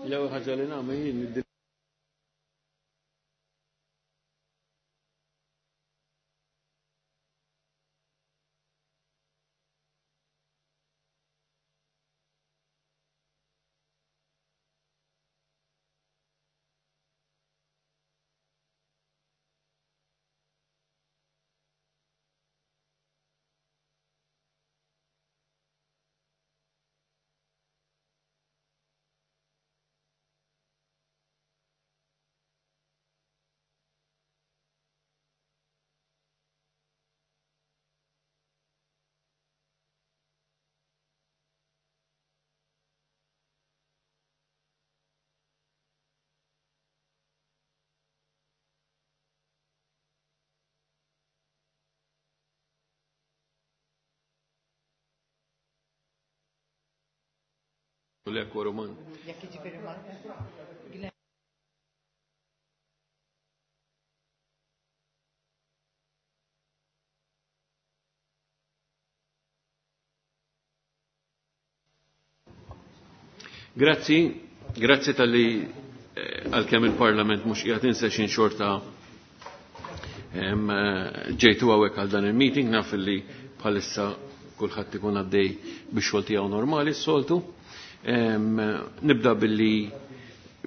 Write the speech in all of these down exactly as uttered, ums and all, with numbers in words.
L-ewwel ħaġa li nagħmel jien Roman. Grazzi, grazzi tal-li eh, għal-kem il-Parlament mux qiegħed in xorta eh, ġejtu għawek għal dan il-meeting, naf li bħalissa kulħadd ikun għaddej bix xogħol tiegħu normali s-soltu. Nibda billi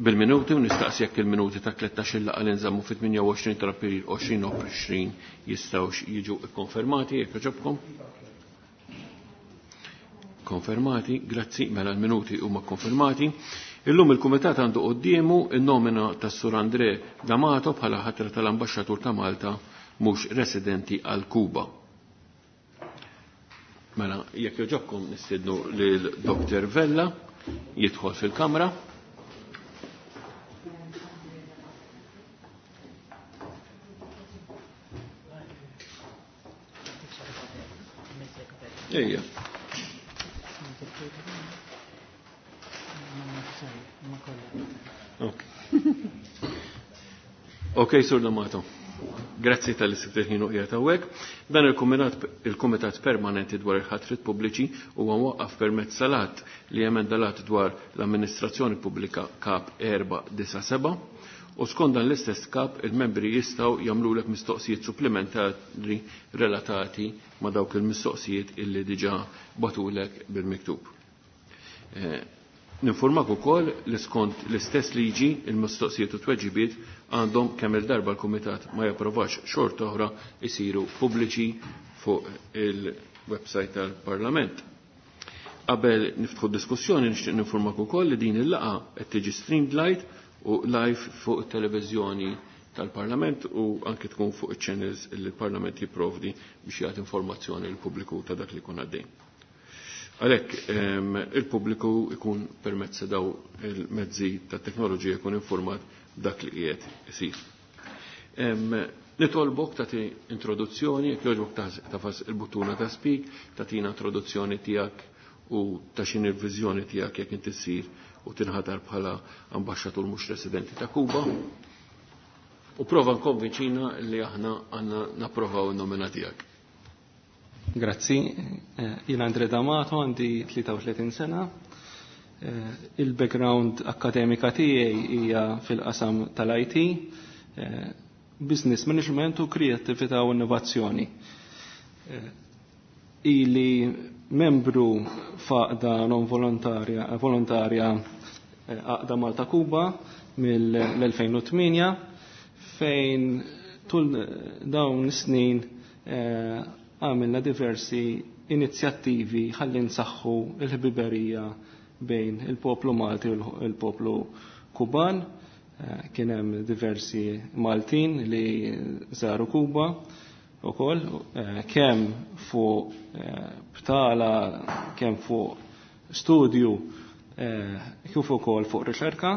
bil-minuti u nistaqsi jekk il-minuti ta' tlettax il laqgħa li nżammu fit-tmienja u għoxrin ta' April għoxrin u għoxrin jistgħux jiġu kkonfermati jekk jogħġobkom. Konfermati, grazzi, mela l-minuti huma konfermati. Illum il-Kumitat għandu qoddiemu in-nomina tas-Sur André D'Amato bħala ħatra tal-Ambaxxatur ta' Malta mhux residenti għal Kuba. Mela, jekk jogħġobkom nistiednu lil Doktor Vella jidħol fil-kamra. Ejja. Ok. Ok, Sur D'Amato. Grazzi tal-li sibt il-ħin u qiegħed hawnhekk. Dan il-Kumitat Permanenti dwar il-ħatrit pubbliċi huwa mwaqqaf permezz salat li emenda lat dwar l-Amministrazzjoni Pubblika Kap erba' disa' seba' u skont dan l-istess kap il-membri jistgħu jagħmlulek mistoqsijiet supplementari relatati ma' dawk il-mistoqsijiet illi diġà batulek bil-miktub. Ninformak ukoll li skont l-istess liġi il-mistoqsijiet u tweġibiet għandhom kemm il-darba l-Kumitat ma japprovax xorta oħra isiru pubbliċi fuq il-website tal-Parlament. Qabel niftħu diskussjoni nixtieq ninformak ukoll li din il-laqgħa qed tiġi streamed live u live fuq it-televiżjoni tal-Parlament u anke tkun fuq iċ-channels li l-Parlament jipprovdi biex jagħti informazzjoni lill-pubbliku ta' dak li jkun għaddej. Għalhekk il-pubbliku ikun permezz daw il-mezzi ta' teknoloġija jkun informat dak li qiegħed isir. Nitolbok tagħti introduzzjoni, jekk jogħġbok tafas il-buttuna ta' speak, tagħtina introduzzjoni tiegħek u ta' x'inhi l-viżjoni tiegħek jekk inti ssir u tinħatar bħala ambaxxatur mhux residenti ta' Kuba. U prova nkonvinċina li aħna għandna napprovaw in-nomina tiegħek. Grazzi, jien Andre D'Amato, għandi tlieta u tletin sena. Il-background akademika tiegħi hija fil-qasam tal-I T, business management u kreattività u innovazzjoni. Ili membru f'għaqda non volontarja, volontarja Għaqda Malta Kuba mill-elfejn u tmienja, fejn tul dawn is-snin għamilna diversi inizjattivi ħalli nsaħħu l-ħbiberija bejn il-poplu Malti u l-poplu Kuban. Kien hemm diversi Maltin li żaru Kuba ukoll, kemm fuq btala, kemm fuq studju, kif ukoll fuq riċerka.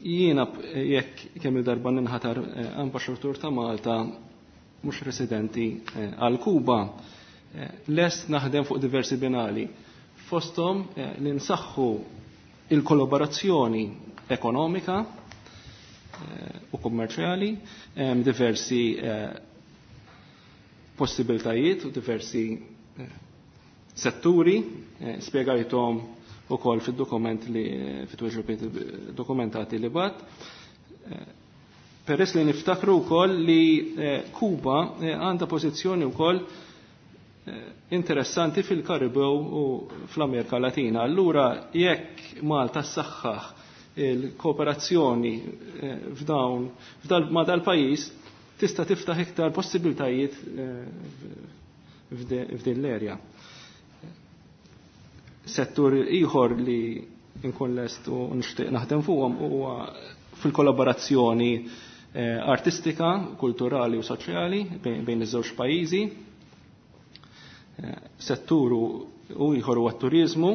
Jiena jekk kemm il-darba ninħatar ambaxxatur ta' Malta mhux residenti għal Kuba, Lest naħdem fuq diversi binali. Fosthom li nsaħħu il-kollaborazzjoni ekonomika u kummerċjali, diversi possibiltajiet u diversi setturi, spjegajthom ukoll fid-dokument li fit-tweġibiet dokumentati li bat. Peress li niftakru wkoll li Kuba għandha pożizzjoni wkoll interessanti fil-Karibew u fl-Amerika Latina. Allura jekk Malta ssaħħaħ il-kooperazzjoni f'dawn ma' dal-pajjiż tista' tiftaħ iktar possibiltajiet f'din l-erja. Settur ieħor li nkun lest u nixtieq naħdem fuqhom huwa fil-kollaborazzjoni artistika, kulturali u soċjali bejn iż-żewġ pajjiżi. Settur u ieħor huwa t-turiżmu.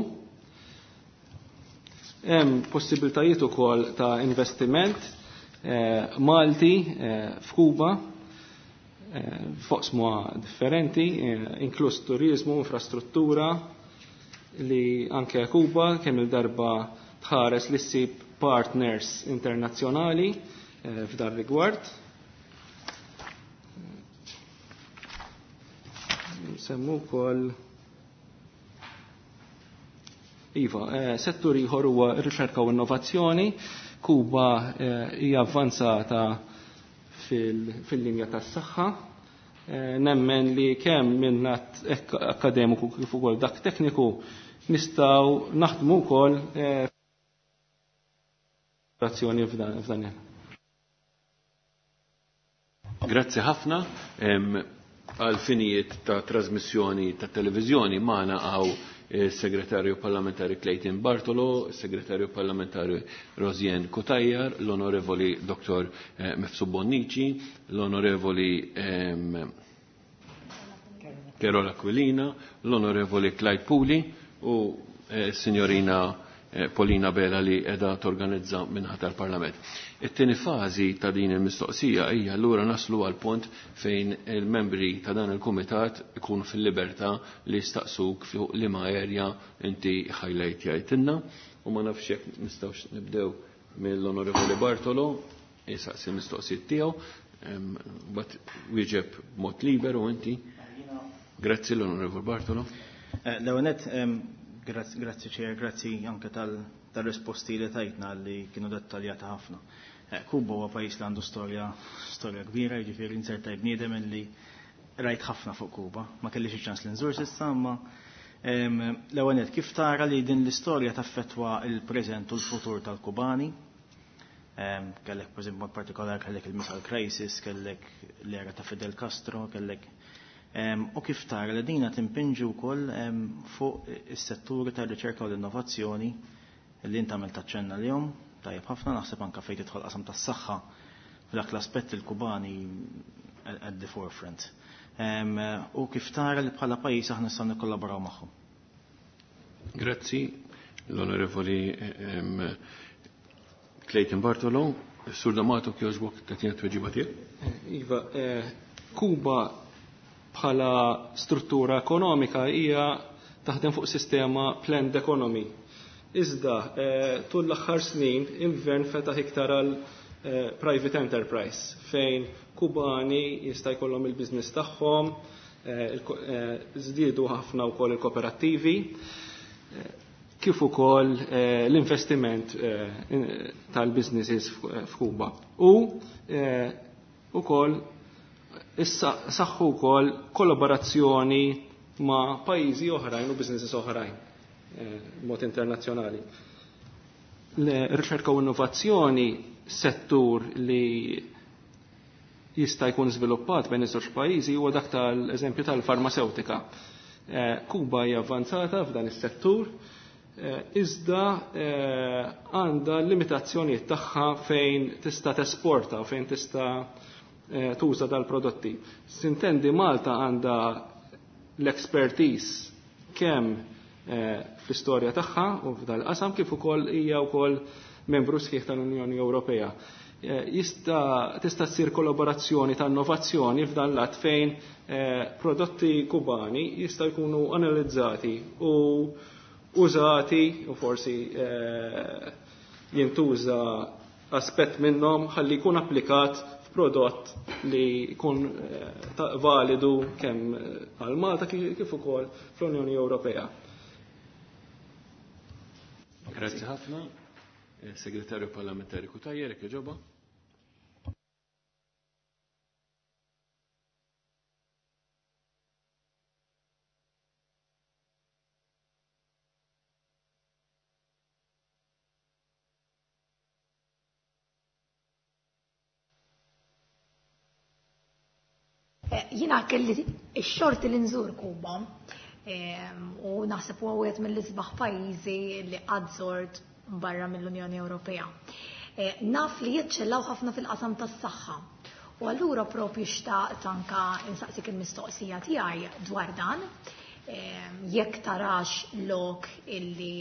Hemm possibiltajiet ukoll ta' investiment Malti f'Kuba f'oqsma differenti, inkluż turiżmu, infrastruttura, li anke Kuba kemm il-darba tħares li ssib partners internazzjonali f'dan rigward. Semmu wkoll Iva, settur ieħor huwa r-riċerka u innovazzjoni. Kuba hija avvanzata fil-linja tas-saħħa. Nemmen li kemm minn akkademiku kif ukoll dak tekniku nistgħu naħdmu wkoll azzjoni f'dan. Grazzi ħafna. Għal finijiet ta' trasmissjoni ta' televiżjoni magħna hawn il-Segretarju Parlamentari Clayton Bartolo, il-Segretarju Parlamentari Rosianne Cutajar, l-Onorevoli Dottor Mifsud Bonnici, l-Onorevoli Carola Aquilina, l-Onorevoli Clyde Puli u signorina Paulina Bela li edha torganizza minħat tal-Parlament. It-tieni fażi ta' din il-mistoqsija hija allura naslu għal punt fejn il-membri ta' dan il-kumitat ikunu fil-libertà li jistaqsuk fuq liema erja inti highlight jgħidilna u ma nafx jekk nistgħux nibdew mill-Onorevoli Bartolo jistaqsi l-mistoqsijiet tiegħu, mbagħad wieġeb b'mod liberu inti. Grazzi l-Onorevoli Bartolo. L-ewwel grazzi ċer, grazzi anke tal-risposti li tajtna li kienu dettaljata ħafna. Kuba huwa pajjiż li għandu storja storja kbira, jiġifieri inzertaj bniedem li rajt ħafna fuq Kuba. Ma kellix iċ-ċans li nżur s'issa, imma l-ewwel nett kif tara li din l-istorja taffettwa l-preżent u l-futur tal-Kubani? Kellek pereżempju mod partikolari kellek il-Missile Crisis, kellek l-era ta' Fidel Castro, kellek u kif tara li dina timpinġi wkoll fuq is-setturi tar-riċerka u l-innovazzjoni li inti għamilt taċċenna lihom, tajjeb ħafna naħseb anke fejn tidħol qasam tas-saħħa f'dak l-aspett il-Kubani at the forefront. U kif tara li bħala pajjiż aħna nistgħu nikkollaboraw magħhom. Grazzi l-Onorevoli Clayton Bartolo. Sur D'Amato kjoġbok tagħtina tweġiba tiegħek. Iva, Kuba bħala struttura ekonomika hija taħdem fuq sistema planned economy. Iżda, tul l-aħħar snin il-gvern fetaħ iktar għal private enterprise fejn Kubani jista' jkollhom il-business tagħhom, żdiedu ħafna wkoll il-kooperattivi, kif ukoll l-investiment tal-businesses f'Kuba. U ukoll issa saħħu wkoll kollaborazzjoni ma' pajjiżi oħrajn u businesses oħrajn mod internazzjonali. L-riċerka u innovazzjoni settur li jista' jkun żviluppat bejn iż-żewġ pajjiżi huwa dak tal-eżempju tal-farmaceutika. Kuba hija avvanzata f'dan is-settur, iżda għandha limitazzjonijiet tagħha fejn tista' tesporta u fejn tista' tuża dal-prodotti. Sintendi Malta għandha l-expertise kemm fl-istorja tagħha u f'dal-qasam kif ukoll hija wkoll membru sħiħ tal-Unjoni Ewropea. Jista' tista' ssir kollaborazzjoni ta' innovazzjoni f'dan l-att fejn prodotti kubani jista' jkunu analizzati u użati u forsi jintuża aspett minnhom ħalli jkun applikat f'prodott li jkun validu kemm għal Malta kif ukoll fl-Unjoni Ewropea. Grazzi ħafna. Segretarju Parlamentari Cutajar, jekk jogħġobha. Jiena kelli x-xorti li nżur Kuba u naħseb huwa wieħed mill-isbaħ pajjiżi li qatt żort barra mill-Unjoni Ewropea. Naf li jiċċellaw ħafna fil-qasam tas-saħħa. U allura propju xtaqt anka insaqsik il-mistoqsija tiegħi dwar dan, jekk tarax lok illi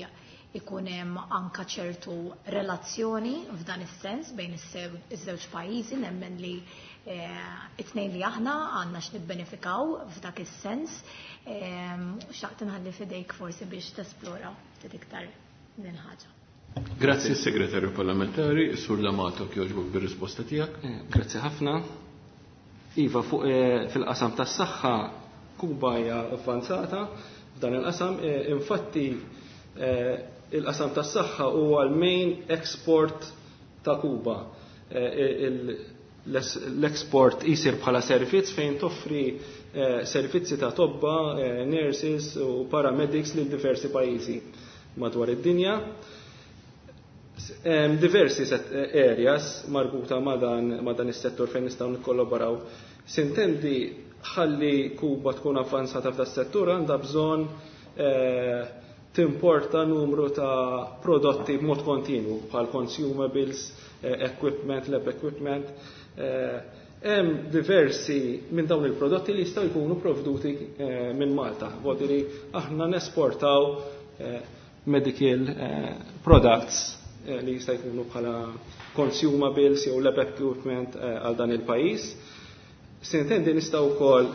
ikun hemm anka ċertu relazzjoni f'dan is-sens bejn iż-żewġ pajjiżi, nemmen li it-tnejn li aħna għandna x'nibbenefikaw f'dak is-sens. Xtaqt inħalli f'idejk forsi biex tesplora ftit iktar din ħaġa. Grazzi Segretarju Parlamentari, Sur D'Amato kjoġbok bir-risposta tiegħek. Grazzi ħafna. Iva, fuq fil-qasam tas-saħħa Kuba hija avvanzata f'dan il-qasam. Infatti il-qasam tas-saħħa huwa l-main export ta' Kuba. L-export isir bħala servizz fejn toffri servizzi ta' tobba, nurses u paramedics lil diversi pajjiżi madwar id-dinja. Diversi areas marbuta ma' dan is-settur fejn nistgħu nikkollaboraw. Sintendi ħalli Kuba tkun avvanzata f'da settur għandha bżonn timporta numru ta' prodotti b'mod kontinu bħal consumables, equipment, lab equipment. Hemm diversi minn dawn il-prodotti li jistgħu jkunu provduti minn Malta. Vuol aħna nesportaw medical products li jista' jkunu bħala consumables jew lab equipment għal dan il-pajjiż. Sintendi nistgħu wkoll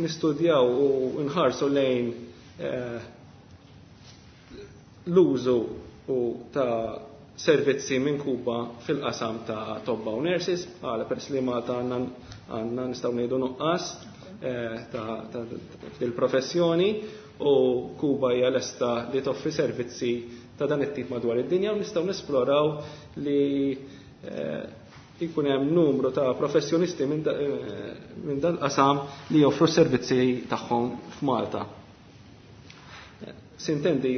nistudjaw u nħarsu lejn l-użu ta' servizzi minn Kuba fil-qasam ta' tobba u nurses, għala peress li Malta għandna nistgħu ngħidu nuqqas ta' il-professjoni u Kuba hija lesta li toffri servizzi ta' dan it-tip madwar id-dinja u nistgħu nesploraw li jkun hemm numru ta' professjonisti minn dan qasam li joffru servizzi tagħhom f'Malta. Sintendi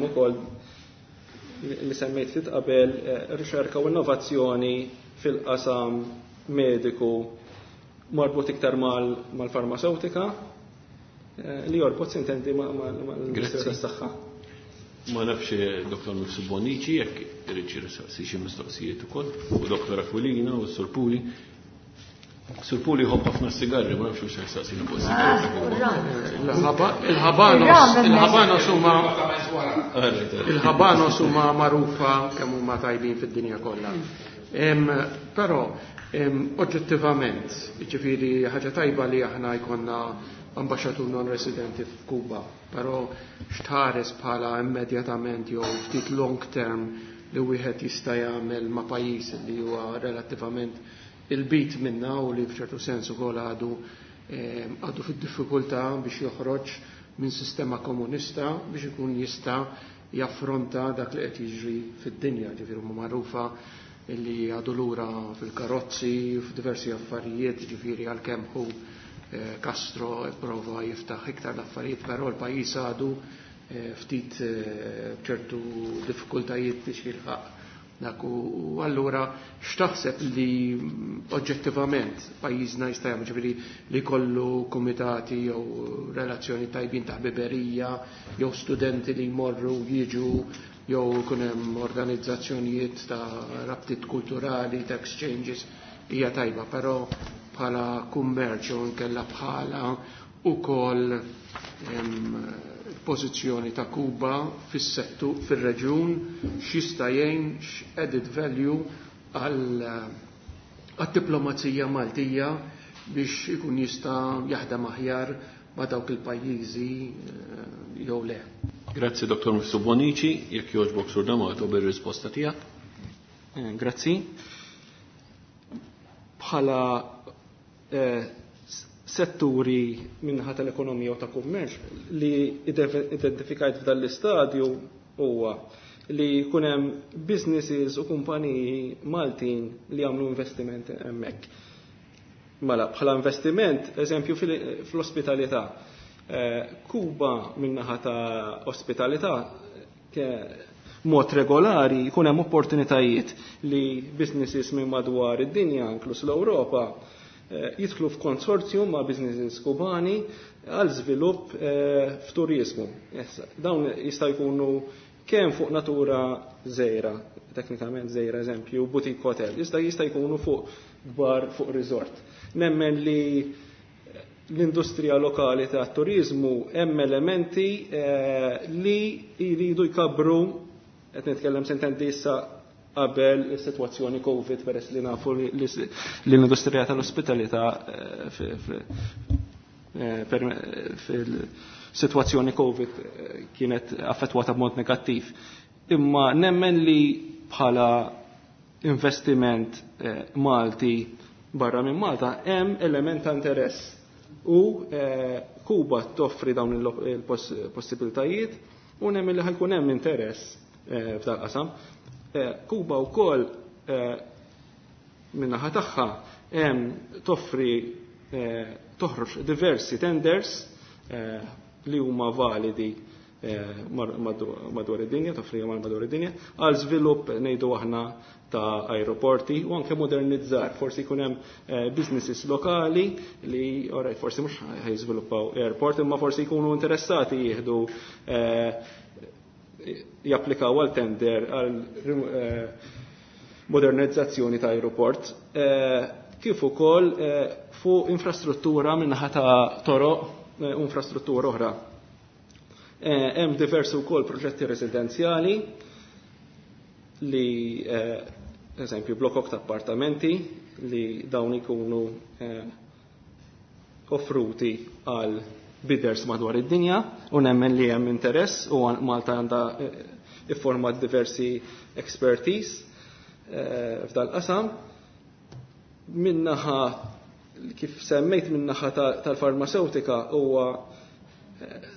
ukoll li semmejt ftit qabel riċerka u innovazzjoni fil-qasam mediku marbut iktar mal-farmaceutika li jorbot sintendi mal-Ministeru tas-Saħħa. Ma nafx Doktor Mifsud Bonnici jekk irid xi xi mistoqsijiet ukoll, u Doktor Aquilina u Sur Puli. Sur Puli jħobb ħafna sigarri, ma nafx x'se jistaqsini fuq is-sigarri. Il-Habanos, il-Habanos huma il-Habanos huma magħrufa kemm huma tajbin fid-dinja kollha. Però oġġettivament, jiġifieri ħaġa tajba li aħna jkollna ambaxxatur non-residenti f'Kuba, però x'tħares bħala immedjatament jew ftit long term li wieħed jista' jagħmel ma' pajjiż li huwa relattivament il-bit minna u li f'ċertu sens ukoll għadu għadu fid-diffikultà biex joħroġ minn sistema komunista biex ikun jista' jaffronta dak li qed jiġri fid-dinja, ġifieri huma magħrufa li għadu lura fil-karozzi, f'diversi affarijiet, ġifieri għalkemm hu Castro prova jiftaħ iktar l-affarijiet, però l-pajjiż għadu ftit ċertu diffikultajiet biex jilħaq dak. U allura x'taħseb li oġġettivament pajjiżna jista' jagħmel, ġifieri li jkollu kumitati jew relazzjoni tajbin ta' ħbiberija jew studenti li jmorru jiġu jew ikun hemm organizzazzjonijiet ta' rabtiet kulturali, ta' exchanges, hija tajba, però bħala kummerċ jew inkella bħala ukoll pożizzjoni ta' Kuba fis-settur fir-reġjun x'jista' jgħin x'added value għad-diplomazija Maltija biex ikun jista' jaħdem aħjar ma' dawk il-pajjiżi jew le. Grazzi Dottor Mifsud Bonnici, jekk jogħġbok Sur D'Amato bir-risposta tiegħek. Grazzi. Bħala eh, setturi minnaħa tal-ekonomija u ta' kummerċ li identifikajt f'dan l-istadju huwa li jkun hemm businesses u kumpaniji Maltin li jagħmlu investiment hemmhekk. Mela, bħala investiment, eżempju fl-ospitalità. Kuba minnaħa ta' ospitalità mod regolari jkun hemm opportunitajiet li businesses minn madwar id-dinja, inkluż l-Ewropa, jidħlu f'konsorzjum ma' businesses kubani għal żvilupp f'turizmu. Dawn jista' jkunu kemm fuq natura żgħira, teknikament żgħira eżempju, boutique hotel, jista' jista' jkunu fuq kbar fuq resort. Nemmen li l-industrija lokali ta' turizmu hemm elementi li jridu jkabru, qed nitkellem sentendi issa qabel is-sitwazzjoni Covid peress li nafu li l-industrija tal-ospitalità fil-sitwazzjoni Covid kienet affettwata b'mod negattiv. Imma nemmen li bħala investiment Malti barra minn Malta hemm element ta' interess u Kuba toffri dawn il-possibilitajiet u nemmen li ħajkun hemm interess f'dal qasam. Kuba wkoll min-naħa tagħha hemm toffri toħroġ diversi tenders li huma validi madwar id-dinja, toffri madwar id-dinja, għal żvilupp ngħidu aħna ta' aeroporti u anke modernizzar, forsi jkun hemm businesses lokali li oraj forsi mhux ħajżviluppaw airport imma forsi jkunu interessati jieħdu japplikaw għal tender għal modernizzazzjoni ta' aeroport, kif ukoll fuq infrastruttura minnaħa ta' toroq u infrastruttura oħra. Hemm diversi wkoll proġetti residenzjali li eżempju blokok ta' appartamenti li dawn ikunu offruti għal bidders madwar id-dinja u nemmen li hemm interess u Malta għandha ifformat diversi expertise f'dal qasam. Minnaħa kif semmejt minnaħa tal-farmaceutika huwa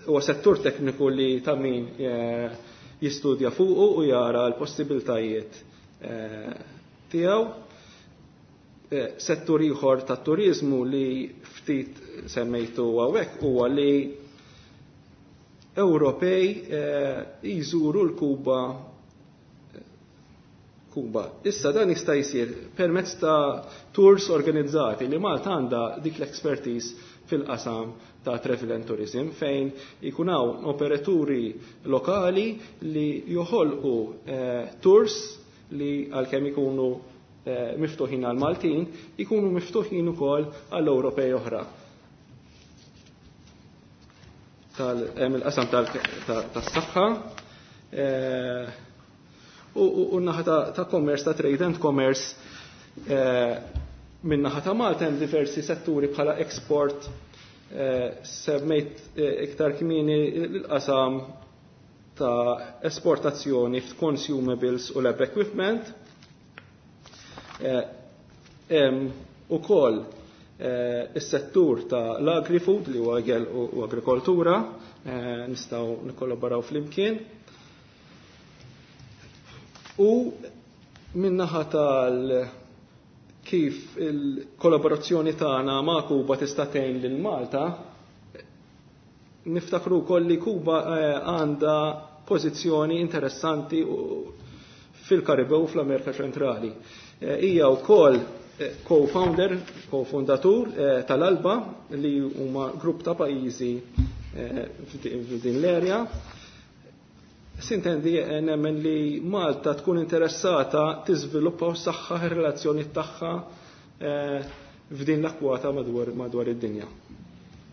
huwa settur tekniku li ta' min jistudja fuqu u jara l-possibiltajiet tiegħu. Settur ieħor tat-turiżmu li ftit semmejtu hawnhekk huwa li Ewropej jżuru l-Kuba Kuba. Issa dan jista' jsir permezz ta' tours organizzati li Malta għandha dik l-expertise fil-qasam ta' travel and tourism fejn ikun hawn operaturi lokali li joħolqu tours li għalkemm ikunu miftuħin għal Maltin, ikunu miftuħin ukoll għall Ewropej oħra. Hemm il-qasam tas-saħħa u n-naħa ta' commerce, ta' trade and commerce min-naħa ta' Malta hemm diversi setturi bħala export, semmejt iktar kmieni l-qasam ta' esportazzjoni f'consumables u lab equipment. Hemm ukoll is-settur ta' l-agri-food li huwa ikel u agrikoltura, nistgħu nikkollaboraw flimkien. U min-naħa tal kif il-kollaborazzjoni tagħna ma' Kuba tista' tgħin lil Malta, niftakru wkoll li Kuba għandha pożizzjoni interessanti fil-Karibew u fl-Amerika Ċentrali. Hija wkoll co-founder, co-fundatur tal-Alba li huma grupp ta' pajjiżi f'din l-area. Sintendi nemmen li Malta tkun interessata tiżviluppa u saħħaħ ir-relazzjoni tagħha f'din l-akwata madwar madwar id-dinja.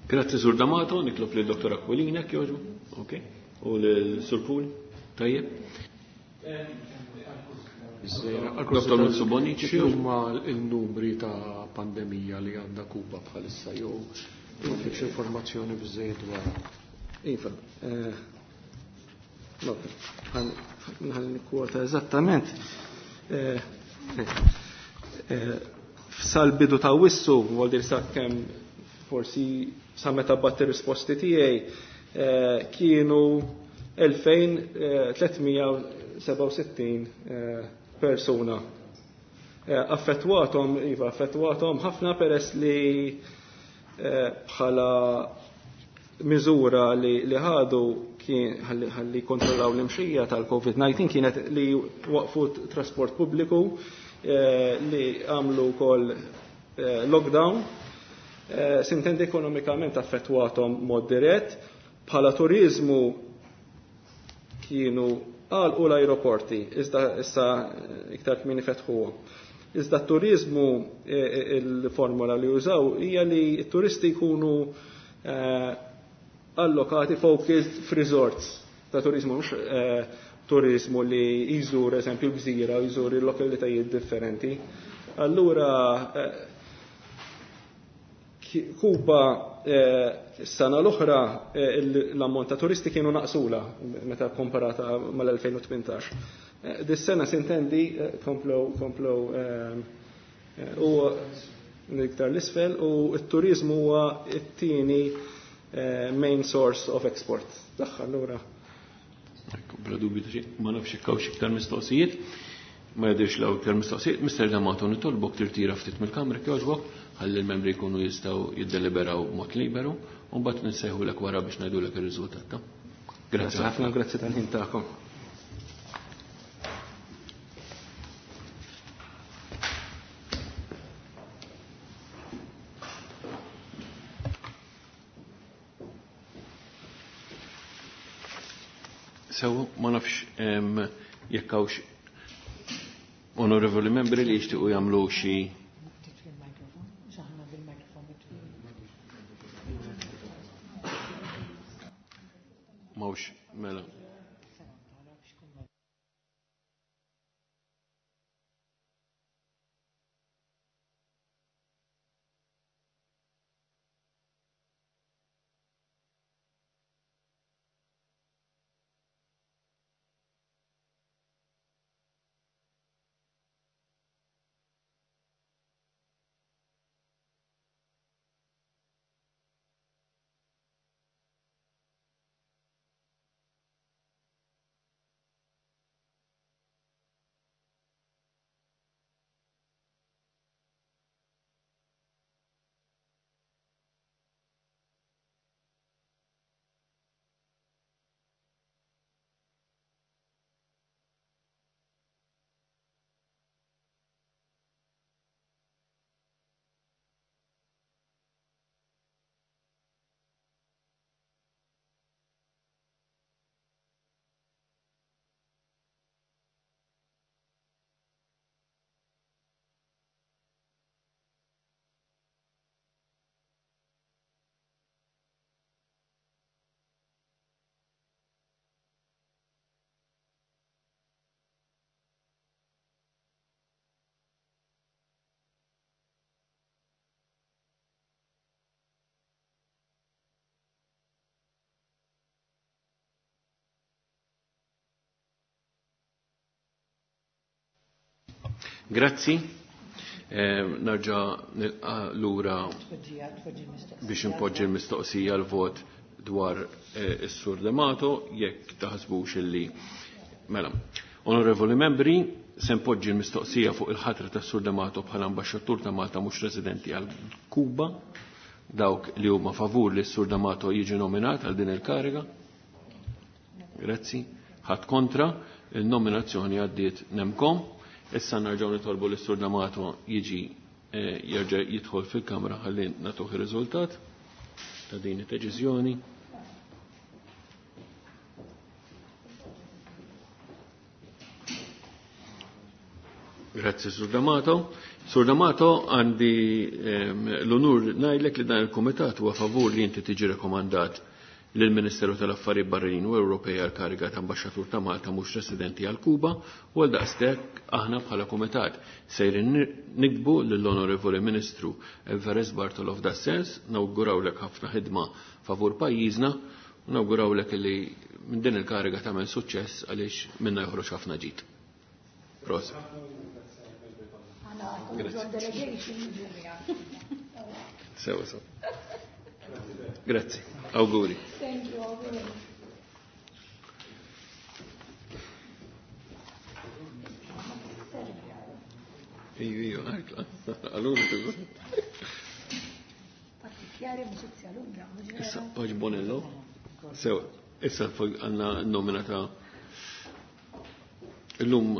Grazzi Sur D'Amato, nitlob lil Dottor Aquilina jogħġbu, ok, u lil Sur Puli, tajjeb. Biżżejjed. Dottor Mifsud Bonnici, Xi huma l-numri ta' pandemija li għandha Kuba bħalissa jew m'għandekx informazzjoni biżżejjed dwar? Iva, eh, no, ħalli nikkwota eżattament. Eh, eh, Sal-bidu ta' Awwissu, vuol dire sa' kemm forsi sa' meta bgħatt ir-risposti tiegħi, eh, kienu elfejn tliet mija sebgħa u sittin persuna. Affettwathom, iva, affettwathom ħafna peress li bħala miżura li, li ħadu kien ħalli, ħalli kontrollaw l-imxija tal-COVID nineteen kienet li waqfu trasport pubbliku, eh, li għamlu wkoll, eh, lockdown. Eh, sintendi ekonomikament affettwathom mod dirett. Bħala turizmu kienu għalqu l-aeroporti, iżda issa iktar kmieni fetħuhom. Iżda t-turizmu, eh, eh, il-formula li użaw hija li t-turisti jkunu, eh, allokati focused f'resorts ta' turizmu, mhux, eh, turizmu li jżur eżempju l-gżira, jżur il-lokalitajiet differenti. Allura, eh, ki-, Kuba, eh, s-sena l-oħra, eh, il-, l-ammont ta' turisti kienu naqsula meta komparata mal-elfejn u tmintax. Eh, dis-sena sintendi, eh, komplow, komplow, eh, eh, u iktar l-isfel, u t-turizmu huwa t-tieni, eh, main source of export. Tagħha allura. Ekku, bla dubju ta' xejn, ma nafx jekk hawnx iktar mistoqsijiet. Ma jidhirx li hawn iktar mistoqsijiet. Mister D'Amato, nitolbok tirtira ftit mill-kamra jogħġbok, ħalli l-membri jkunu jistgħu jiddeliberaw b'mod liberu, u mbagħad nsejħulek wara biex ngħidulek ir-riżultat ta'. Grazzi Grazzi ħafna, grazzi tal-ħin tagħkom. Sew, ma nafx, em, jekk hawnx onorevoli membri li jixtiequ jagħmlu xi Mawx, mela. Grazzi. Eh, nerġa' nilqa' lura biex impoġġi l-mistoqsija l-vot dwar, eh, is-Sur D'Amato, jekk taħsbux illi. Mela, onorevoli membri, se npoġġi l-mistoqsija fuq il-ħatra tas-Sur D'Amato bħala ambaxxatur ta' Malta mhux residenti għal Kuba, dawk li huma favur li s-Sur D'Amato jiġi nominat għal din il-kariga. Grazzi. Ħadd kontra, il-nominazzjoni għaddiet nemkom. Issa nerġgħu nitolbu li s-Sur D'Amato jiġi, eh, jerġa' jidħol fil-kamra ħalli nagħtuh ir-riżultat ta' din id-deċiżjoni. Grazzi, Sur D'Amato. Sur D'Amato, għandi, ehm, l-onur ngħidlek li dan il-kumitat huwa favur li inti tiġi rekomandat lill-Ministeru tal-Affarijiet Barranin u Ewropej għal kariga ta' Ambaxxatur ta' Malta mhux residenti għal Kuba u għal daqstek aħna bħala kumitat sejrin nikbu lill-Onorevoli Ministru Everest Bartolo f'das-sens, nawgurawlek ħafna ħidma favur pajjiżna u nawgurawlek li minn din il-kariga tagħmel suċċess għaliex minna joħroġ ħafna ġid. Prosit. Sewa sew. Grazzi. Auguri. Thank you, auguri. Iju, iju, għalura. Partikolari amicizia lunga. Issa, Paġ Bonello. Sewa, issa għanna nomina ta' illum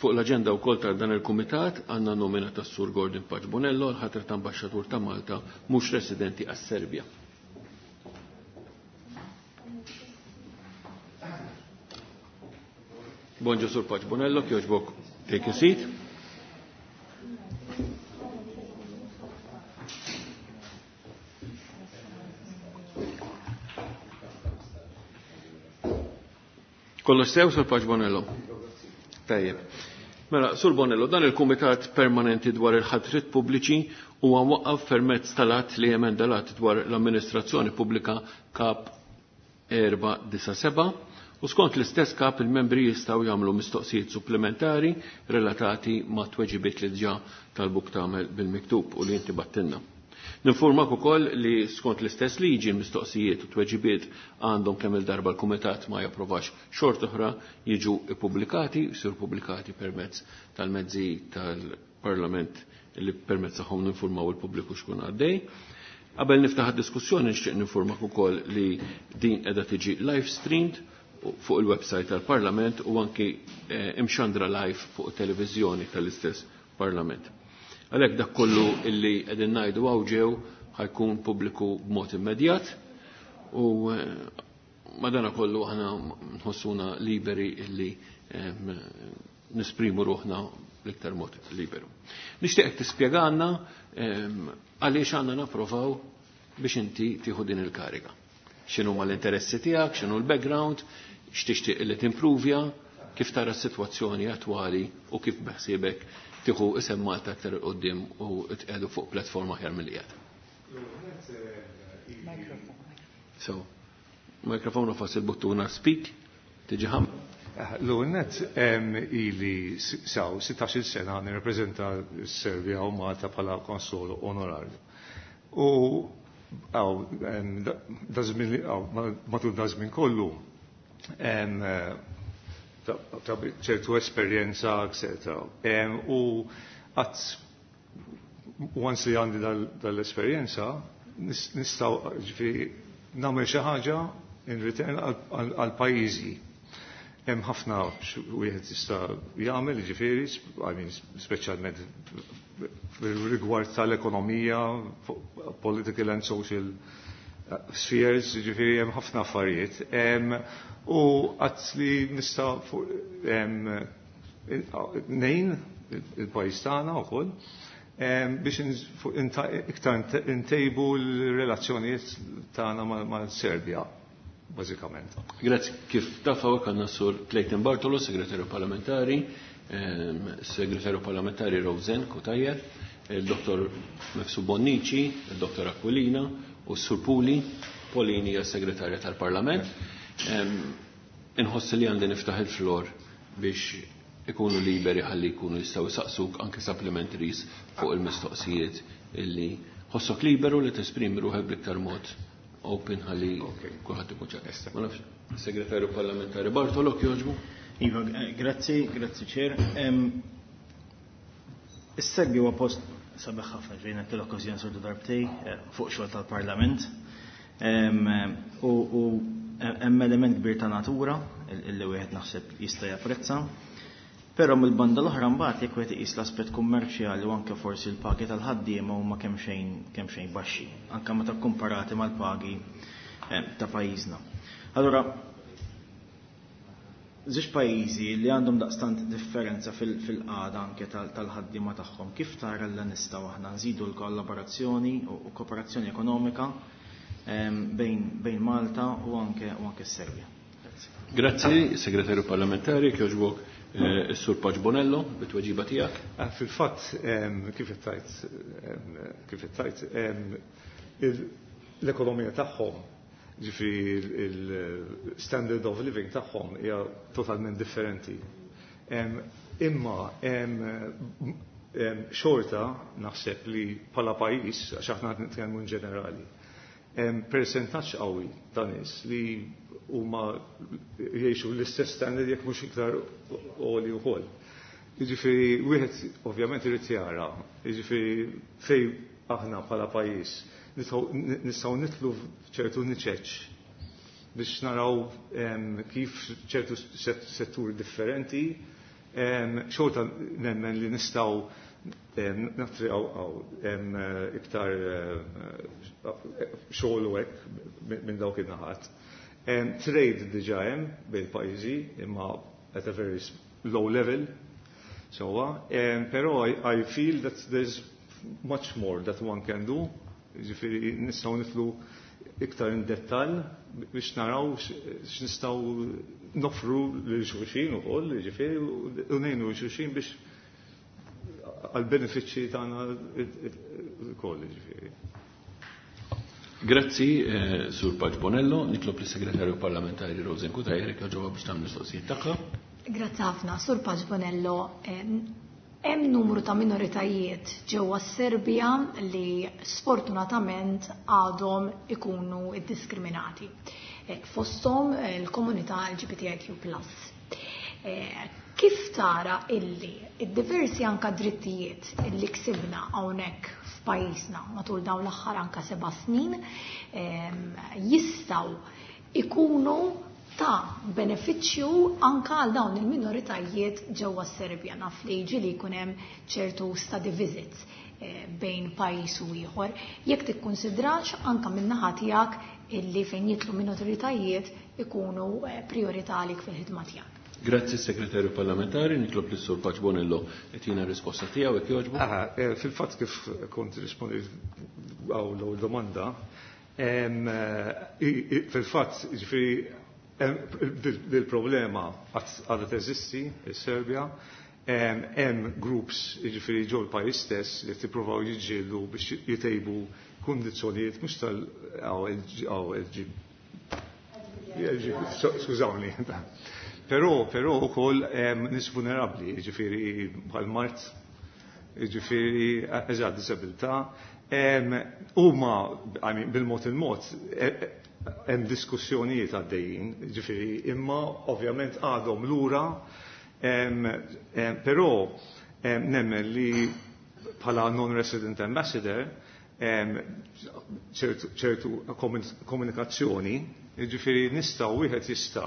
fuq l-agenda wkoll ta' dan il-kumitat għandna nomina ta' Sur Gordon Paċ Bonello l-ħatra ta' ambaxxatur ta' Malta mhux residenti għas-Serbja. Bonġu Sur Paċ Bonello, kjoġbok take a seat. Kollox sew, Sur Paċ Bonello? Tajjeb. Mela, Sur Bonello, dan il-Kumitat Permanenti dwar il-ħatrit pubbliċi huwa mwaqqaf permezz tal-att li emenda l-att dwar l-amministrazzjoni pubblika kap erba' disa' seba' u skont l-istess kap il-membri jistgħu jagħmlu mistoqsijiet supplementari relatati ma' tweġibiet li diġà talbuk tagħmel bil-miktub u li inti battilna. Ninformak ukoll li skont l-istess liġi l-mistoqsijiet u tweġibiet għandhom kemm il-darba l-Kumitat ma japprovax xort oħra jiġu ippubblikati, jsiru pubblikati permezz tal-mezzi tal-Parlament li permezz tagħhom ninformaw il-pubbliku xkun għaddej. Qabel niftaħ id-diskussjoni nixtieq ninformak ukoll li din qiegħda tiġi live streamed fuq il-website tal-Parlament u anki imxandra live fuq televiżjoni tal-istess Parlament. Għalhekk dak kollu illi qegħdin ngħidu hawn ġew ħajkun pubbliku b'mod immedjat u madana kollu aħna nħossuna liberi illi nisprimu ruħna l-iktar mod liberu. Nixtieqek tispjegana għaliex għandna napprovaw biex inti tieħu din il-kariga. X'inhu l-interessi tiegħek, x'inhu l-background, x'tixtieq li timpruvja, kif tara s-sitwazzjoni attwali u kif beħsiebek tieħu isem Malta aktar il qudiem u tqiegħdu fuq platforma aħjar milli qiegħed. So, mikrofonu fas il-buttuna speak, tiġi ħam. L-ewwel ili saw sittax-il sena nirrappreżenta s-Serbja u Malta bħala konsol onorarju. U għaw, matul da żmien kollu ta' ċertu esperjenza, et cetera. U għat once li għandi dal-esperjenza, nistaw ġifieri nagħmel xi ħaġa in return għal pajjiżi. Hemm ħafna wieħed jista' jagħmel, ġifieri, I mean, speċjalment rigward tal-ekonomija, political and social spheres, ġifieri hemm ħafna affarijiet. U għat li nista' nejn il-pajjiż tagħna wkoll biex iktar intejbu l-relazzjonijiet tagħna mal-Serbja, bażikament. Grazzi. Kif taf hawnhekk għandna Sur Clayton Bartolo, segretarju parlamentari, segretarju parlamentari Rosen Cutajar, il-Dottor Mifsud Bonnici, il-Dottor Aquilina u s-Sur Puli, Polini hija segretarja tal-Parlament. Inħoss li għandi niftaħ il-flor biex ikunu liberi ħalli jkunu jistgħu jsaqsuk anke supplementaries fuq il-mistoqsijiet illi ħossok liberu li tesprimi ruħek bl-iktar mod open ħalli kulħadd ikun ċar. Ma nafx, segretarju parlamentari Bartolo kjoġbu. Iva, grazzi, grazzi ċer. Is-Serbja huwa post sabiħ ħafna, ġejna l-okkażjoni sortu darbtej fuq xogħol tal-Parlament. U hemm element kbir ta' natura illi wieħed naħseb jista' japprezza. Però mill-banda l-oħra mbagħad jekk wieħed iqis l-aspett kummerċjali u anke forsi l-pagi tal-ħaddiema huma kemm xejn kemm xejn baxxi, anke meta kkumparati mal-pagi ta' pajjiżna. Allura, żewġ pajjiżi li għandhom daqstant differenza fil-qagħda anke tal-ħaddiema tagħhom, kif tara li nistgħu aħna nżidu l-kollaborazzjoni u kooperazzjoni ekonomika bejn, bejn Malta u anke u anke s-Serbja. Grazzi, Segretarju Parlamentari, kjoġbok eh, is-Sur Paċ Bonello, bit-tweġiba tiegħek. Ah, fil-fatt, kif tajt, kif tajt, l-ekonomija tagħhom, ġifieri il-standard of living tagħhom hija totalment differenti. Imma xorta naħseb li bħala pajjiż, għax aħna nitkellmu in ġenerali, persentaġġ qawwi ta' nies li huma jgħixu l-istess standard jekk mhux iktar għoli wkoll. Jiġifieri wieħed ovvjament irid jara, jiġifieri fej aħna bħala pajjiż nistgħu nitlu f'ċertu niċeċ biex naraw kif ċertu setturi differenti xorta nemmen li nistgħu nattriqaw iktar xogħol u hekk minn dawk in-naħat. Trade diġà hemm bejn pajjiżi imma at a very low level. So, um, però I, I feel that there's much more that one can do. Ġifieri nistgħu nidħlu iktar in dettall biex naraw x'nistgħu nofru lil xulxin ukoll, ġifieri u ngħinu lil xulxin biex għal benefiċċji tagħna ukoll, ġifieri. Grazzi, eh, Sur Paċ Bonello, nitlob lis-Segretarju Parlamentari Rosen Cutajar ġewwa biex tagħmel mistoqsijiet tagħha. Grazzi ħafna, Sur Paċ Bonello. Hemm numru ta' minoritajiet ġewwa s-Serbja li sfortunatament għadhom ikunu iddiskriminati. Fosthom il-komunità L G B T I Q plus. Kif tara illi id-diversi anka drittijiet illi ksibna hawnhekk f'pajjiżna matul dawn l-aħħar anka seba' snin jistgħu ikunu ta' benefiċċju anka għal dawn il-minoritajiet ġewwa s-Serbja? Naf li ġieli jkun hemm ċertu study visits eh, bejn pajjiż u ieħor. Jekk tikkunsidrax anka min-naħa tiegħek illi fejn jidħlu minoritajiet ikunu eh, priorità għalik fil-ħidma tiegħek. Grazzi, Segretarju Parlamentari, nitlob lis sur Paċ Bonello jtina risposta tiegħu jekk jogħġbu. Aha, eh, fil-fatt kif kont rispondi għaw l domanda, fil-fatt ġifieri dil-problema għadha teżisti il-Serbja, hemm groups ġifieri ġol pajjiż stess li tippruvaw jiġġieldu biex jitejbu kundizzjonijiet mhux tal L G, skużawni. Però, però ukoll nies vulnerabbli, ġifieri bħal mard, ġifieri eżatt disabilità, huma bil-mod il-mod e, e, hemm diskussjonijiet għaddejjin, ġifieri, imma ovvjament għadhom lura, però nemmen li bħala non-resident ambassador ċertu komunikazzjoni, ġifieri nistgħu wieħed jista'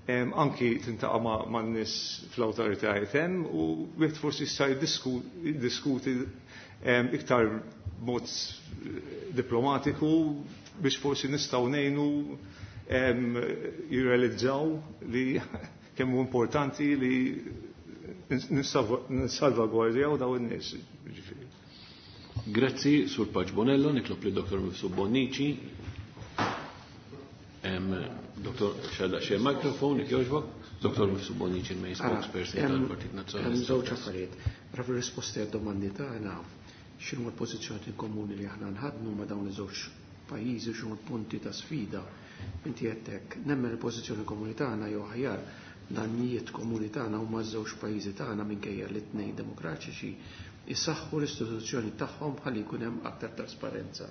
anki tiltaqa' ma' nies fl-awtoritajiet hemm u wieħed forsi jista' jiddiskuti iktar mod diplomatiku biex forsi nistgħu ngħinu jirrealizzaw li kemm hu importanti li nissalvagwardjaw daw in-nies. Grazzi, Sur Paċ Bonello, nitlob li Doktor Mifsud Bonnici. Doktor, xadda xie mikrofon, jogħġbok. Doktor Mifsud Bonnici, il-main spokesperson tal-Partit Nazzjonalista. Żewġ affarijiet. Ra fir-risposti għad-domandi tagħna, x'inhu l-pożizzjoni komuni li aħna nħadnu ma' dawn iż-żewġ pajjiżi, x'inhu l-punti ta' sfida. Inti għedtek, nemmen il-pożizzjoni komuni tagħna jew aħjar l-għanijiet komuni tagħna huma żewġ pajjiżi tagħna, minkejja li tnejn demokratiċi, jisaħħu l-istituzzjoni tagħhom ħalli jkun hemm aktar trasparenza.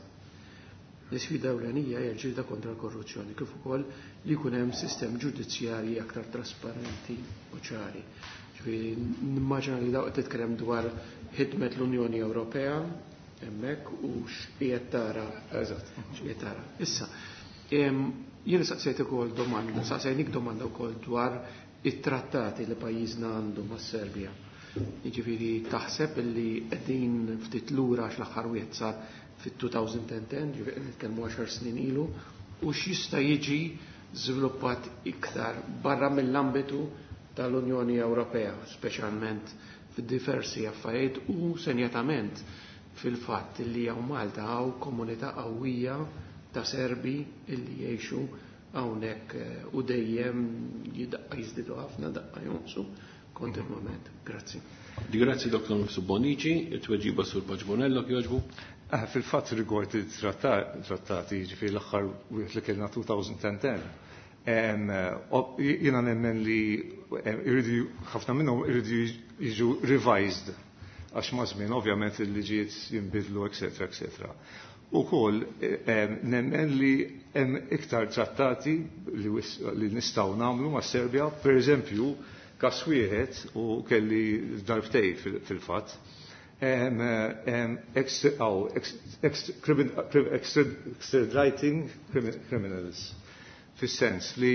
L-isfida ewlenija hija l-ġlieda kontra l-korruzzjoni kif ukoll li jkun hemm sistem ġudizzjarji aktar trasparenti u ċari. Ġifieri nimmaġina li dawk titkellem dwar ħidmet l-Unjoni Ewropea hemmhekk u x'qiegħed tara. Eżatt. X'qiegħed tara. Issa, jiena saqsejt ukoll domanda, saqsejnik domanda wkoll dwar it-trattati li pajjiżna għandu mas-Serbja. Jiġifieri taħseb li qegħdin ftit lura għax l-aħħar wieħed sar fit-elfejn u għaxra, ġifieri nitkellmu għaxar snin ilu, u x'jista' jiġi żviluppat iktar barra mill-ambitu tal-Unjoni Ewropea, speċjalment fid-diversi affarijiet u senjatament fil-fatt li hawn Malta hawn komunità qawwija ta' Serbi illi jgħixu hawnhekk u dejjem jidaqqa jiżdiedu ħafna, daqqa jonqsu kontinwament. Grazzi. Grazzi Doktor Mifsud Bonnici, it-tweġiba Sur Pace Bonello jogħġbu. Ah, fil-fatt rigward it-trattati, ġifieri l-aħħar wieħed li kellna elfejn u għaxra. Jiena nemmen li irridu, ħafna minnhom irridu jiġu revised għax ma' żmien ovvjament il-liġijiet jinbidlu, eċetera, eċetera. Ukoll nemmen li hemm iktar trattati li, li nistgħu nagħmlu ma' Serbja, per eżempju, kas wieħed u kelli darbtej fil-fatt, extraditing criminals, fis-sens li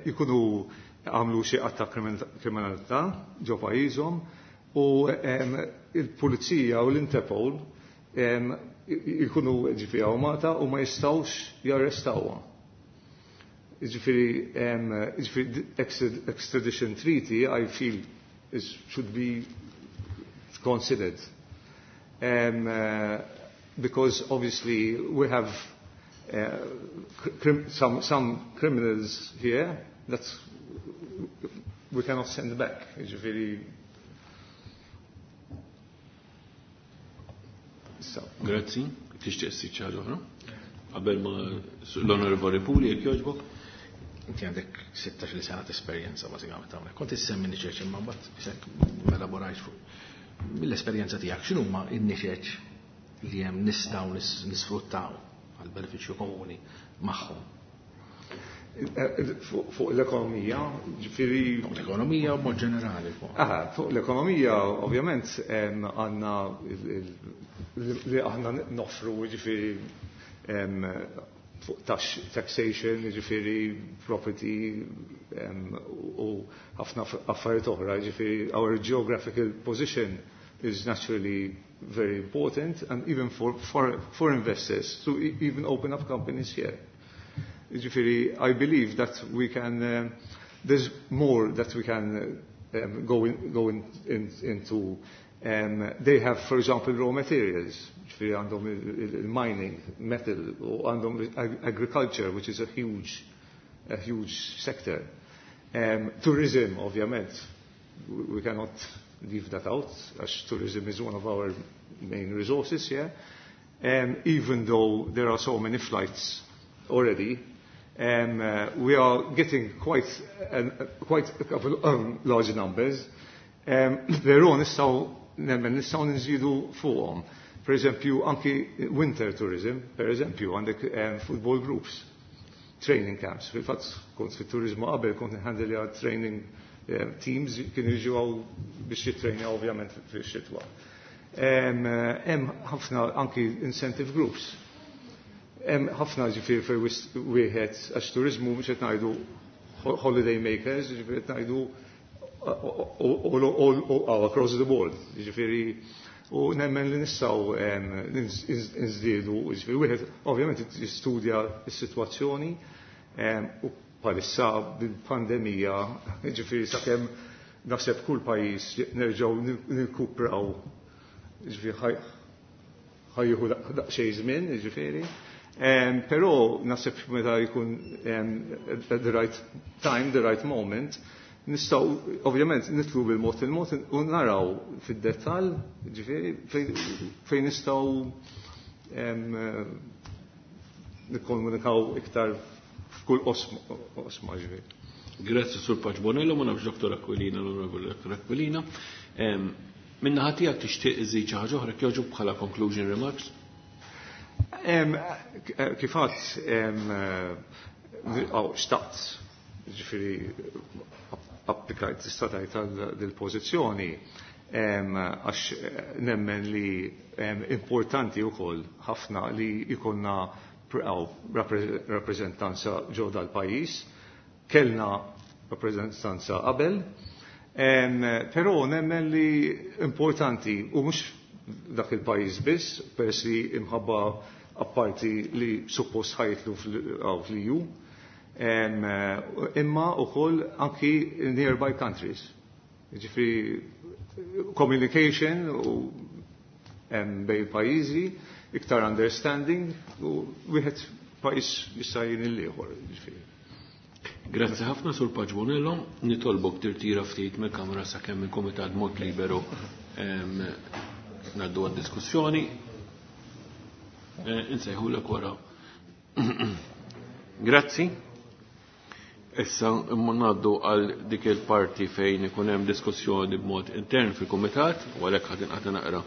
jkunu għamlu xi att ta' kriminalità ġo pajjiżhom u il-pulizija u l-Interpol jkunu ġifieri hawn Malta u ma jistgħux jarrestawhom. Ġifieri, ġifieri extradition treaty, I feel, is, should be considered. Um, uh, because obviously we have uh, crim some, some criminals here that we cannot send back. Ġifieri, so. Grazzi. Tixtieq ssir xi ħaġa oħra? Qabel ma l-Onorevoli Puli, jekk jogħġbok. Inti għandek sittax-il sena ta' esperjenza bażikament hawnhekk. Kont issemmi niċeċ imma mbagħad isek elaborajt fuq. Mill-esperjenza tiegħek, x'inhuma n-niċeċ li hemm nistgħu nisfruttaw għal benefiċċju komuni magħhom? Fuq l-ekonomija, ġifieri. Fuq l-ekonomija u mod ġenerali. Fuq. Aha, fuq l-ekonomija, ovvjament, għandna li aħna noffru, ġifieri, fuq taxation, ġifieri, property u ħafna affarijiet oħra, ġifieri, our geographical position is naturally very important and even for, for, for investors to e, even open up companies here. Ġifieri, I believe that we can, uh, there's more that we can uh, um, go, in, go in, in, into. Um, they have, for example, raw materials. Ġifieri għandhom il-mining, metal, u għandhom agriculture, which is a huge, a huge sector. Um, tourism, ovvjament, we cannot leave that out, as tourism is one of our main resources here. Um, even though there are so many flights already, um, uh, we are getting quite, uh, quite a couple of um, large numbers. Um, Però nistgħu, nemmen nistgħu nżidu fuqhom. Per eżempju, anki winter tourism, per eżempju, għandek um, football groups, training camps. Fil-fatt, kont fit-turizmu qabel, kont nhandle training um, teams kienu jiġu hawn biex jitrejna ovvjament fix-xitwa. Hemm ħafna anki incentive groups. Hemm ħafna, ġifieri, fejn wieħed, għax turizmu mhux qed ngħidu holiday makers, ġifieri qed ngħidu all, all, all across the board. Ġifieri, u nemmen li nistgħu nżdiedu, ġifieri wieħed ovvjament jistudja s-sitwazzjoni u bħalissa bil-pandemija, ġifieri sakemm naħseb kull pajjiż nerġgħu nirkupraw, ġifieri ħa jieħu daqsxejn żmien, ġifieri. Um, però naħseb meta jkun um, at the right time, the right moment, nistgħu ovvjament nidħlu bil-mod il-mod u naraw fid-dettall, ġifieri, fejn nistgħu um, nikkomunikaw iktar f'kull oqsma, ġifieri. Grazzi Sur Pace Bonello, ma nafx Doktor Aquilina, l-Onorevoli Doktor Aquilina. Min-naħa tiegħek tixtieq iżid xi ħaġa oħra jogħġbu bħala conclusion remarks? Kif għedt, xtaqt, ġifieri, applikajt, tista' tgħid, għal dil-pożizzjoni għax nemmen li importanti wkoll ħafna li jkollna rappreżentanza ġo dal-pajjiż. Kellna rappreżentanza qabel, però nemmen li importanti u mhux dak il-pajjiż biss, peress li imħabba apparti li suppost ħa jitilgħu fl-E U, imma ukoll anki nearby countries. Ġifieri communication u bejn pajjiżi, iktar understanding u wieħed Pajjiż jista' jgħin il-ieħor, jiġifieri. Grazzi ħafna Sur Pace Bonello, nitolbok tirtira ftit mill-kamra sakemm il-Kumitat mod liberu ngħaddu għad-diskussjoni. Insejħulek wara. Grazzi. Issa ngħaddu għal dik il-parti fejn ikun hemm diskussjoni b'mod intern fil-Kumitat, u għalhekk ħadd inqata' naqra.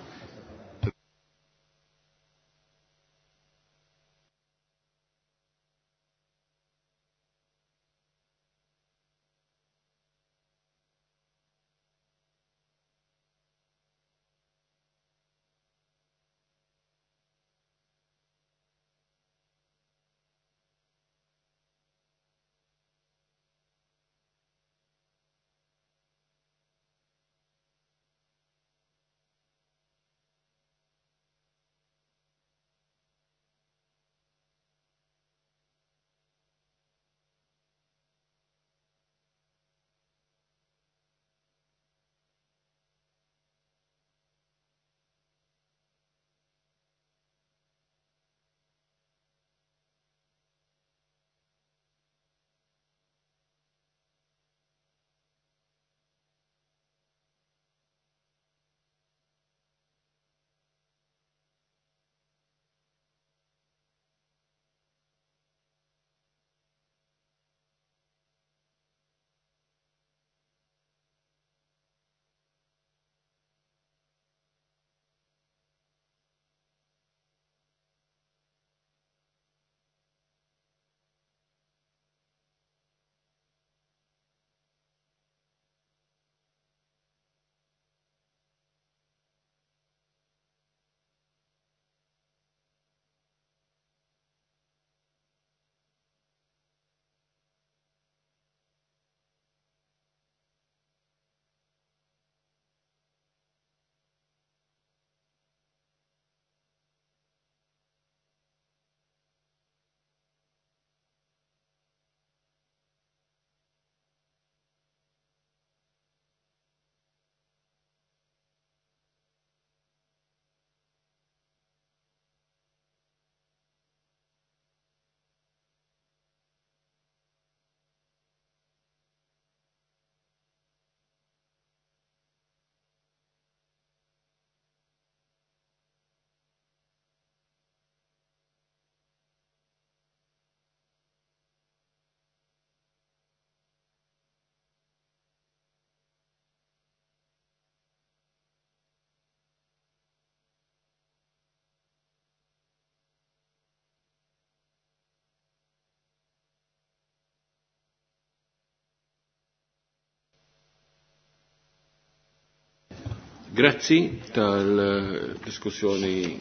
Grazzi tal-diskussjoni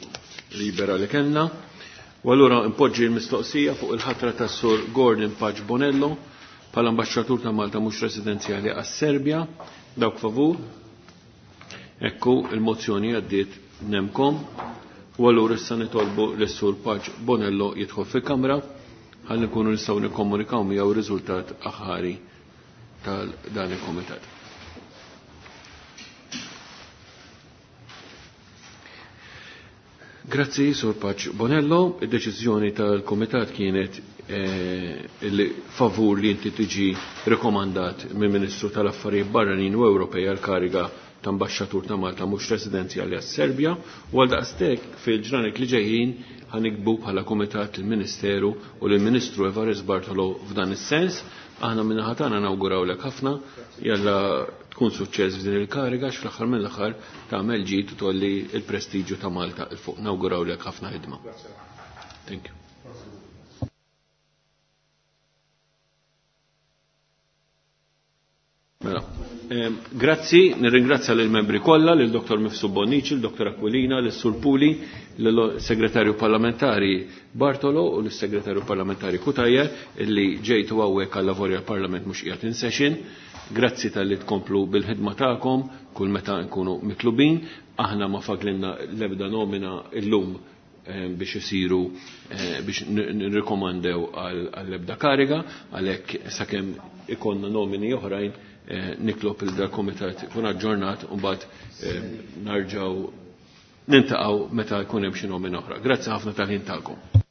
libera li kellna. U allura impoġġi l-mistoqsija fuq il-ħatra tas-Sur Gordon Pace Bonello bħala ambaxxatur ta' Malta mhux residenzjali għas-Serbja. Dawk favur. Ekku il-mozzjoni għaddiet nemkom. U allura issa nitolbu lis-Sur Pace Bonello jidħol fil-Kamra ħalli nkunu nistgħu nikkomunikaw miegħu r-riżultat aħħari tal-dan il-komitat. Grazzi, Sur Pace Bonello. Id-deċiżjoni tal-Komitat kienet eh, li favur li inti tiġi rekomandat mill-Ministru tal-Affarijiet Barranin u Ewropej għal kariga ta' ambaxxatur ta' Malta mhux residenzjali għas-Serbja u għal daqstek fil-ġranet li ġejjin ħanikbu bħala Kumitat il-Ministeru u lill-Ministru Evarist Bartolo f'dan is-sens. Aħna minna ħatana nawgurawlek ħafna, jalla tkun suċċess f'din il-kariga għax fl-aħħar mill-aħħar tagħmel ġid u tolli il-prestiġju ta' Malta il fuq. Nawgurawlek ħafna ħidma. Thank you. Mela, grazzi, nirringrazzja lill membri kollha, lil Dottor Mifsud Bonnici, lil Dottor Aquilina, lil Sur Puli, lill-Segretarju Parlamentari Bartolo u lill-Segretarju Parlamentari Cutajar illi ġejtu hawnhekk għal lavori għall-Parlament mhux qiegħed in session. Grazzi tal-li tkomplu bil-ħidma tagħkom kull meta nkunu mitlubin. Aħna ma faglinna l-ebda nomina illum biex isiru biex nirrikomandew għall-ebda kariga, għalhekk sakemm ikonna nomini oħrajn nitlob il dal-komitat ikun aġġornat u mbagħad narġgħu nintaqgħu meta jkun hemm xi nomina oħra. Grazzi ħafna tal-ħin tagħkom.